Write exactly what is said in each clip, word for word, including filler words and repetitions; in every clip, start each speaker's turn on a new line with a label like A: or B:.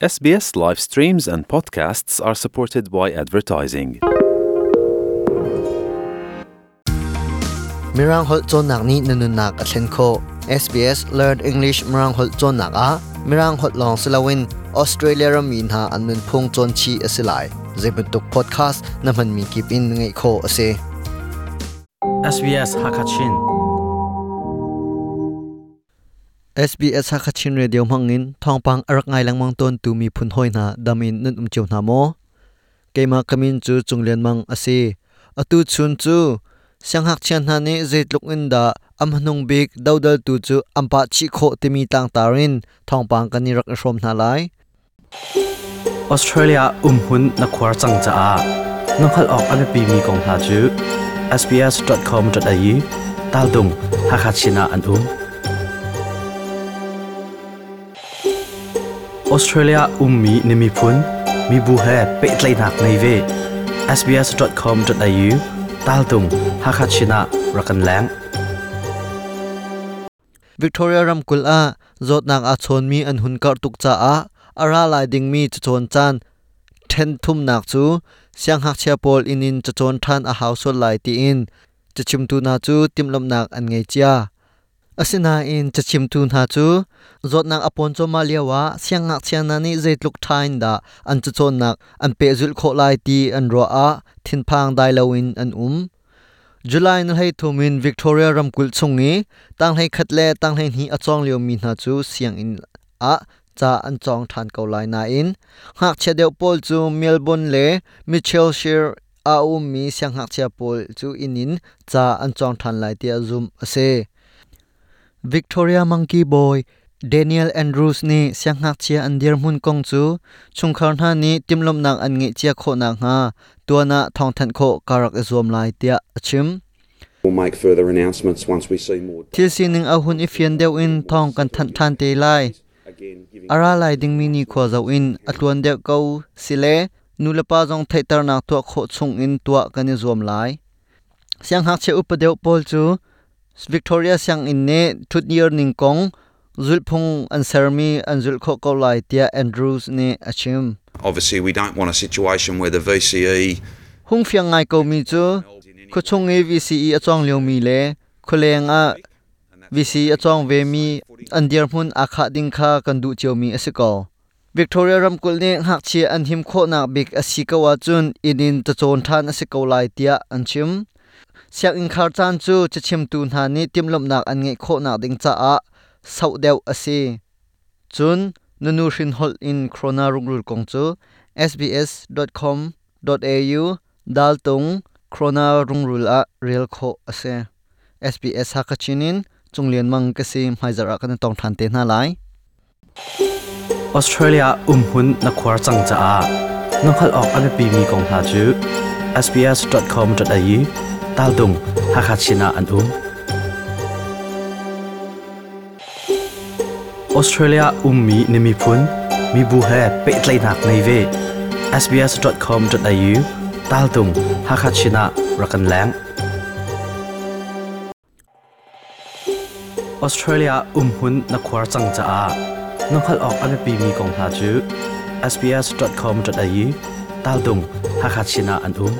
A: S B S live streams and podcasts are supported by advertising.
B: Mirang holh cawnnak nih na nunnak a thlen khawh. S B S Learn English Mirang holh cawnnak ah Mirang holh lawng si loin Australia rammi hna an nunphung cawn chih a si lai. Zeibantuk podcast na hmanmi kip in ngaih khawh a si.
C: S B S Hakachin.
B: S B S Hakachin Radio hmangin thawngpang a rak ngai lengmang tawn tu miphun hawi hna, damin nan um cio hna maw? Keimah ka min cu Cunglian Mang a si. Atu chun cu siangngakchia hna nih zeitluk in dah am hnung bik dodal tu cu an pah chih khawh timi tlangtar in thawngpang kan i rak i hrawm hna lai.
C: Australia umhmun na khuar cang caah na hngalh awk a biapimi kong hna cu S B S dot com dot A U tal tung Hakachin ah an um. Australia ummi na miphun mibu he pehtlaihnak nei ve. S B S dot com dot A U tal tung Hakachin ah rak kan leng.
B: Victoria ramkulh ah zawtnak aa chawnmi an hun karh tuk caah a ra lai dingmi cacawn caan then thumnak cu siangngakchia pawl inn in cacawn ṭhan a hau sual lai tiin cachimtu hna cu timhlamhnak an ngei cia. Asinain cachimtu hna cu zawtnak a pawn cuahmah lioah siangngakchia hna nih zeitluk ṭha in dah an cacawnnak an pehzulh khawh lai ti an ruah ah thinphang dai loin an um. July ni hleithum in Victoria ramkulh chung i tang hleikhat le tang hleihnih a cawng liomi hna cu sianginn ah ca an cawng ṭhan ko lai nain ngakchia deuh pawl cu Melbourne le Mitchell Shire a ummi siangngakchia pawl cu inn in ca an cawng ṭhan lai tiah zumh a si. Victoria Monkey Boy Daniel Andrews nih siangngakchia an dirhmun kong cu chungkhar hna nih timhlamhnak an ngeih cia khawh nakhnga tuan ah thawngthanh khawh ka rak i zuam lai tiah a chim.
D: We'll make further announcements once we see more.
B: Thil sining a hun i fian deuh in thawng kan thanh ṭhan te lai.
D: Again, giving
B: A ra lai dingmi ni khua zoh in a tluan deuh ko sile nulepa zong theihternak tuah khawh chung in tuah kan i zuam lai. Siangngakchia upa deuh pawl cu Victoria sianginn nih ṭhutdir ning kong zulhphung an sermi an zulh khawh ko lai tiah Andrews nih a chim.
D: Obviously, we don't want a situation where the V C E
B: Hung fiang ngai ko mi cu khuachung i V C E a cawng liomi le khualeng ah V C E a cawng ve mi an dirhmun aa khah ding kha kan duh ciomi a si ko. Victoria ramkulh nih ngakchia an him khawhnak bik a si ko ahcun inn in cacawn ṭhan a si ko lai tiah an chim. Sianginn khar caan cu cachimtu hna nih timhlamhnak an ngeih khawhnak ding caah sauh deuh a si. Cun na nuhrin holh in corona rungrul kong cu S B S dot com dot A U dal tung corona rungrul ah rel khawh a si. S B S Hakachin in Cunglian Mang ka si. Hmaizarh ah kan i tong ṭhan te hna lai.
C: Australia umhmun na khuar cang caah na hngalh awk a biapimi kong hna cu S B S dot com dot A U tal tung Hakachin ah an um. Australia ummi na miphun mibu he pehtlaihnak nei ve. S B S dot com dot A U tal tung Hakachin ah rak kan leng. Australia umhmun na khuar cang caah na hngalh awk a biapimi kong hna cu S B S dot com dot A U tal tung Hakachin ah an um.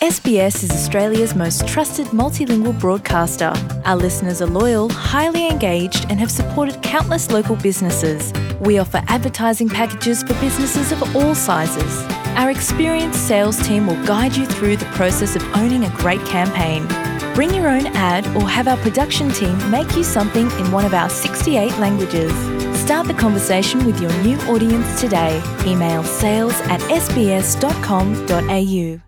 E: S B S is Australia's most trusted multilingual broadcaster. Our listeners are loyal, highly engaged, and have supported countless local businesses. We offer advertising packages for businesses of all sizes. Our experienced sales team will guide you through the process of owning a great campaign. Bring your own ad or have our production team make you something in one of our sixty-eight languages. Start the conversation with your new audience today. Email sales at S B S dot com dot A U.